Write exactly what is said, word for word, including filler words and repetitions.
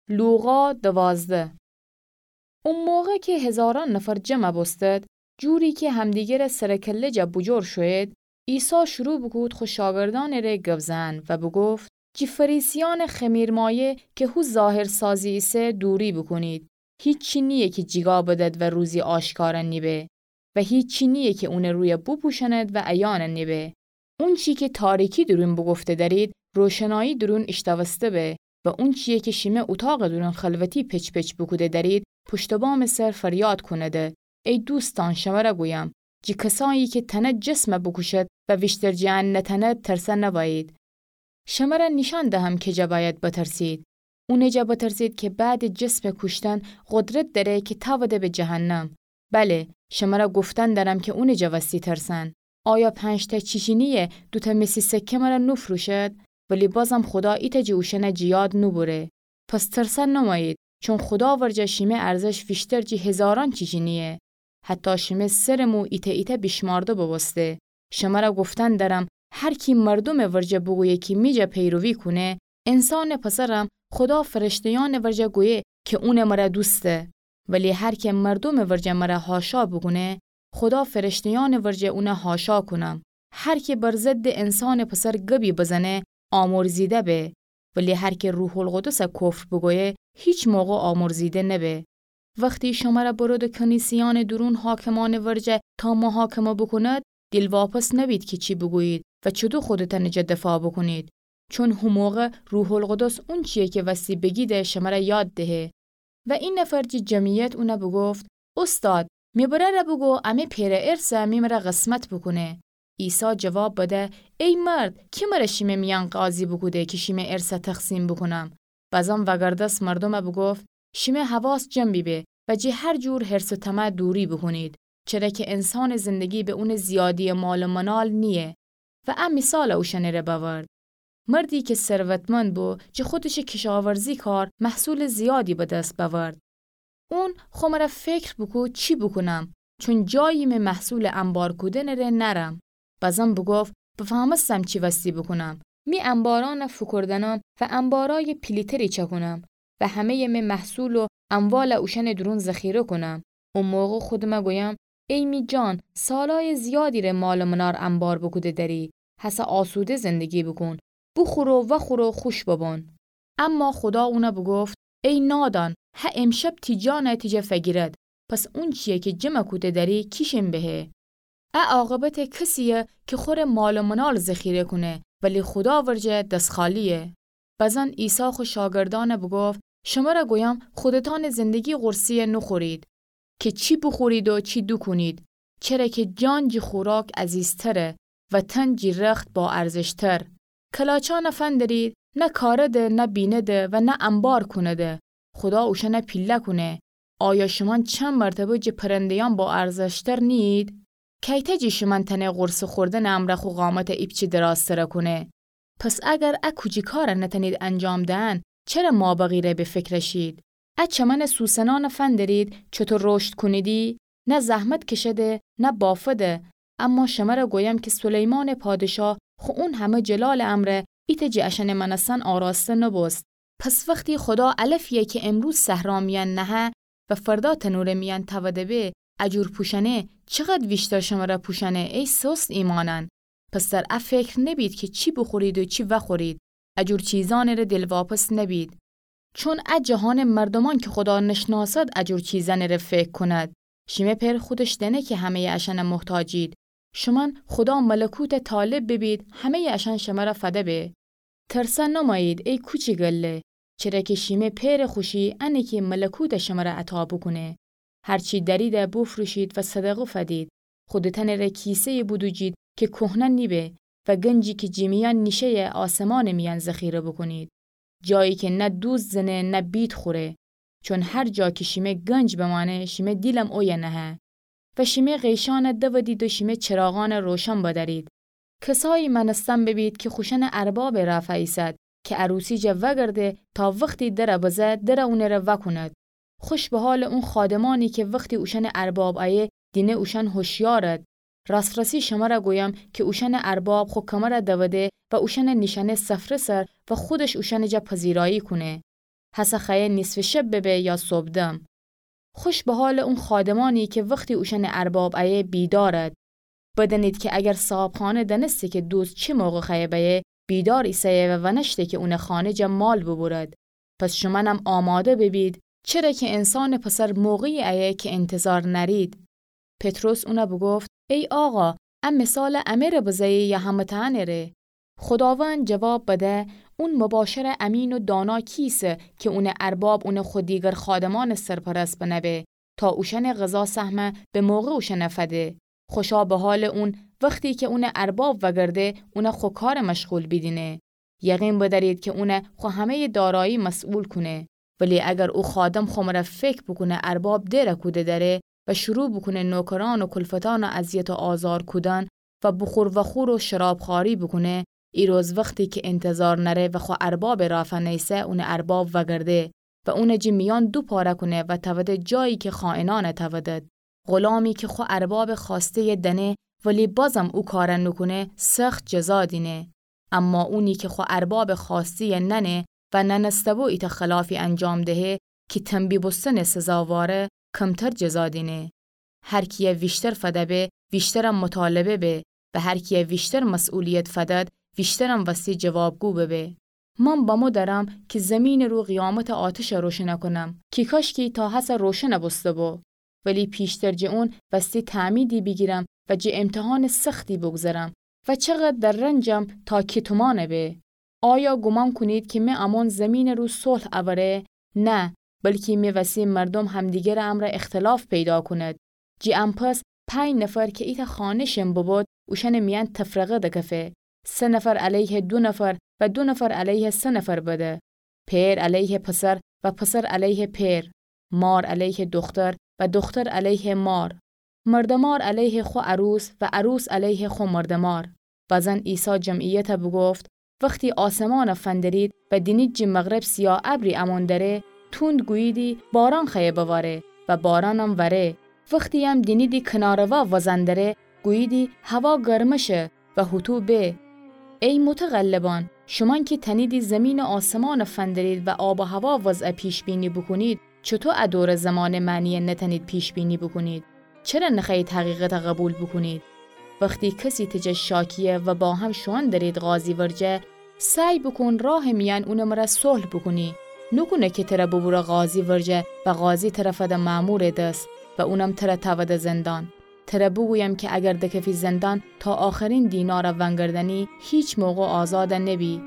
لوقا دوازده. او موقع کی هیزارأن نفر جمع بوستد، جوری کی همدیگرٚ سر و کله جا بوجور شویید، عیسی شروع بوکود خو شاگردأنٚ ره گب زئن و بوگفت: جی فریسیأنٚ خمیرمایه کی هو ظاهرسازی ایسه دوری بوکونید. هیچی نییه کی جیگا بدد و روزی آشکار نیبه و هیچی نییه کی اونٚ روی بوپوشأند و عیان نیبه. اونچی کی تاریکی دورون بوگفته دأرید، روشنایی دورون ایشتاوسته به و اونچیی کی شیمه اوطاقٚ دورون خلوتی پچ‌پچ بوکوده دأرید، پشت و بامٚ سر فریاد کونده: ای دوستأن، شمر گویم، جی کسایی کی تأند جسم بوکوشد و ویشتر جٚه ان نتأند، ترسه نوأیید. شمر نیشأن دهم کجا بأید بترسید. اونٚ جا بترسید کی بعدٚ جسمٚ کوشتن قدرت دأره کی تأوده به جهنم. بله، شمر گفتن دأرم کی اونٚ جا وستی ترسن. آیا پنج‌تأ چیچینی دوتأ مسی سکه مر نوفروشد؟ ولی بازم خودا ایتأ جٚه اوشأن جٚه یاد نوبوره. پس ترسه نومأیید، چون خودا ورجه شیمه ارزش ویشتر جٚه هیزارأن چیچینییه. حتی شیمه سرٚ مو ایتأ ایتأ بیشمارده بوبوسته. شمر گفتن دأرم، هر کی مردومٚ ورجه بوگویه کی می جا پیروی کونه، انسانٚ پسرم خودا فرشته‌یأنٚ ورجه گویه کی اون مر دوسته. ولی هر کی مردومٚ ورجه مر حاشا بوکونه، خودا فرشته‌یأنٚ ورجه اون حاشا کونم. هر کی بر ضدٚ انسانٚ پسر گبی بزنه، آمرزیده به. ولی هر کی روح‌القدس کفر بوگویه، هیچ موقع آمرزیده نبه. وختی شمر برودٚ کنیسه‌یأنٚ دورون حاکمأنٚ ورجه تا محاکمه بوکوند، دیلواپس نبید کی چی بوگویید و چوطو خودتأنٚ جا دفاع بوکونید. چون هو موقع روح‌القدس اونچیی کی وستی بگیده شمر یاد دهه. و ای نفر جٚه جمعیت اون بوگفت: اوستاد، می برأر بوگو امه پئرٚ ارث می مر قسمت بوکونه. عیسی جواب بده: ای مرد، کی مر شیمه میأن قاضی بوکوده کی شیمه ارث تقسیم بوکونم؟ بزن وگردست مردوم بوگفت: شیمه حواس جمع بیبه و جٚه هر جور حرص و طمع دوری بوکونید، چره کی انسانٚ زندگی به اونٚ زیادییٚ مال و منال نییه. و ا مثال اوشأنٚ ره بأورد: مردی کی ثروتمند بو، جٚه خودشٚ کشاورزی کار محصولٚ زیادی به دس بأورد. اون خو مر فکر بوکود چی بوکونم، چون جایی می محصولٚ انبار کودنٚ ره نأرم. بزن بوگفت: بفهمستم چی وستی بوکونم. می انبارأن فوکوردأنم و انبارأیٚ پیلی‌تری چأکونم و همه‌یٚ می محصول و اموال اوشأنٚ دورون ذخیره کونم. او موقع خودم گویم: ای می جان، سالأیٚ زیادی ره مال و منال انبار بوکوده دأری، هسه آسوده زندگی بوکون، بوخور و وأخور و خوش ببون. اما خودا اون بوگفت: ای نادان، هه امشب تی جان تی جا فگیرد. پس اونچیی کی جمع کوده دأری کیشین بهه. ا عاقبتٚ کسییه کی خوره مال و منال ذخیره کونه، ولی خودا ورجه دس خالییه. بزن عیسی خو شاگردأن بوگفت: شمر گویم، خودتأنٚ زندگی قرصه‌یه نوخورید کی چی بوخورید و چی دوکونید، چره کی جان جٚه خوراک عزیزتره و تن جٚه رخت باارزشتر. کلاچأن فندرید، نه کارده، نه بینده و نه انبار کونده. خودا اوشأن پیله کونه. آیا شومأن چند مرتبه جٚه پرنده‌یأن باارزشتر نیید؟ کیته جٚه شومأن تأنه قرصه خوردنٚ امرأ خو قامت ایپچه درازتر کونه؟ پس اگر ا کوچی کار نتأنید انجام دهن، چره مابقی ره به فکر شید؟ ا چمنٚ سوسنأن فندرید، چوطو رشد کونیدی؟ نه زحمت کشده، نه بافده. اما شمر گویم کی سلیمانٚ پادشاه خو اون همه جلالٚ امرأ ایتأ جٚه اشأنٚ مأنستن آراسته نوبوست. پس وختی خودا علفیی کی امروز صحرا میأن نهه و فردا تنورٚ میأن توده به، اجور پوشأنه، چقد ویشتر شمر پوشأنه، ای سست ایمأنأن؟ پس در ا فکر نبید کی چی بوخورید و چی وأخورید، اجور چیزأنٚ ره دلواپس نبید. چون ا جهانٚ مردومأن کی خودا نشناسد اجور چیزأنٚ ره فکر کونید. شیمه پئر خودش دأنه کی همه‌یٚ اشأن محتاجید. شومأن خودا ملکوت طالب ببید، همه‌یٚ اشأن شمر فده به. ترسه نومأیید ای کوچی گله، چره کی شیمه پئرٚ خوشی انه کی ملکوت شمر عطا بوکونه. هرچی دأریده بوفروشید و صدقه فدید. خودتأنٚ ره کیسه‌یی بودوجید کی کهنه نیبه و گنجی کی جٚه میأن نیشه‌یه آسمانٚ میأن ذخیره بوکونید. جایی کی نه دوز زنه نه بید خوره. چون هر جا کی شیمه گنج بمأنه، شیمه دیلم اویه نهه. و شیمه غیشأن دودید و شیمه چراغأن روشن بدأرید. کسایی مأنستن ببید کی خوشأنٚ ارباب رأفه ایسد کی عروسی جا وأگرده تا وختی در بزه، در اونٚ ره وأکوند. خوش به حالٚ اون خادمأنی کی وختی اوشأنٚ ارباب ایه، دینه اوشأن هوشیارد. راس‌راسی شمر گویم کی اوشأنٚ ارباب خو کمر دوده و اوشأن نیشأنه سفره سر و خودش اوشأنٚ جا پذیرایی کونه. هسه خوأیه نیصفٚ شب ببه یا صبحدم. خوش به حالٚ اون خادمأنی کی وختی اوشأنٚ ارباب ایه بیدارد. بدأنید کی اگر صاحبخانه دأنسته کی دوست چی موقع خوأیه بأیه، بیدار ایسه‌یه و ونأشته کی اونٚ خانه جا مال ببورد. پس شومأنم آماده ببید، چره کی انسانٚ پسر موقعی ایه کی انتظار نأرید. پطرس اونَ بوگفت: ای آقا، ا مثال امه ره بزه‌یی یا همه‌تأنٚ ره؟ خوداوند جواب بده: اون مباشرٚ امین و دانا کیسه کی اونٚ ارباب اونَ خو دیگر خادمأنٚ سرپرست بنه به، تا اوشأنٚ غذا سهمَ به موقع اوشأنَ فده. خوشا به حالٚ اون وختی کی اونٚ ارباب وگرده، اونَ خو کارٚ مشغول بیدینه. یقین بدأرید کی اونَ خو همه‌یٚ دارایی مسئول کونه. ولی اگر او خادم خو مره فکر بوکونه ارباب دره کوده دأره و شروع بوکونه نوکرأن و کلفتأنَ اذیت و آزار کودن و بوخور وخور و شرابخوأری بوکونه، ایروز وختی کی انتظار نأره و خو اربابٚ رافا نیسه، اونٚ ارباب وگرده و اونَ جٚه میأن دو پاره کونه و تأوده جایی کی خائنأنَ تأودد. غلامی کی خو اربابٚ خوأسته‌یَ دأنه ولی بازم او کارَ نوکونه، سخت جزا دینه. اما اونی کی خو اربابٚ خوأسته‌یَ نأنه و نأنسته‌بو ایتأ خلافی انجام دهه کی تنبیه بوستنٚ سزاواره، کمتر جزا دینه. هر کیَ ویشتر فده به، ویشترم مطالبه به و هر کیَ ویشتر مسئولیت فدد، ویشترم وستی جوابگو ببه. من بمو درم کی زیمینٚ رو قیامتٚ آتشَ روشنَ کونم کی کاشکی تا هسه روشنَ بوسته‌بو. ولی پیشتر جٚه اون وستی تعمیدی بیگیرم و جٚه امتحانٚ سختی بوگذرم و چقدر در رنجم تا کی تومانَ به. آیا گومان کونید کی می امون زیمینٚ رو صلح اوره؟ نه، بلکی می وسی مردوم همدیگرٚ امرأ اختلاف پیدا کونید. جٚه ان پس پنج نفر کی ایتأ خانه شین ببود، اوشأنٚ میأن تفرقه دکفه. سه نفر علیه دو نفر و دو نفر علیه سه نفر بده. پئر علیه پسر و پسر علیه پئر. مار علیه دوختر و دوختر علیه مار. مرده‌مار علیه خو عروس و عروس علیه خو مرده‌مار. بزن عیسی جمعیتَ بوگفت: وختی آسمانَ فندرید و دینید جٚه مغرب سیاه ابری امون دره، توند گوییدی باران خوأیه بواره و بارانم وره. وختی‌یم دینیدی کناره‌وا وزن دره، گوییدی هوا گرمه شه و هوطو به. ای متغلبأن، شومأن کی تأنیدی زیمین و آسمانَ فندرید و آب و هوا وضعَ پیش‌بینی بوکونید، چوطو ا دورٚ زمانٚ معنیَ نتأنید پیش‌بینی بوکونید؟ چره نخوأیید حقیقتَ قبول بوکونید؟ وختی کسی تجه شاکیه و با هم شوئن درید قاضی ورجه، سعی بوکون راهٚ میأن اونٚ مره صلح بوکونی. نوکونه کی تره بوبوره قاضی ورجه و قاضی تره فده مأمورٚ دس و اونم تره تأوده زندان. تره بوگویم کی اگر دکفی زندان تا آخرین دینارَ ونگردنی، هیچ موقع آزادَ نبی.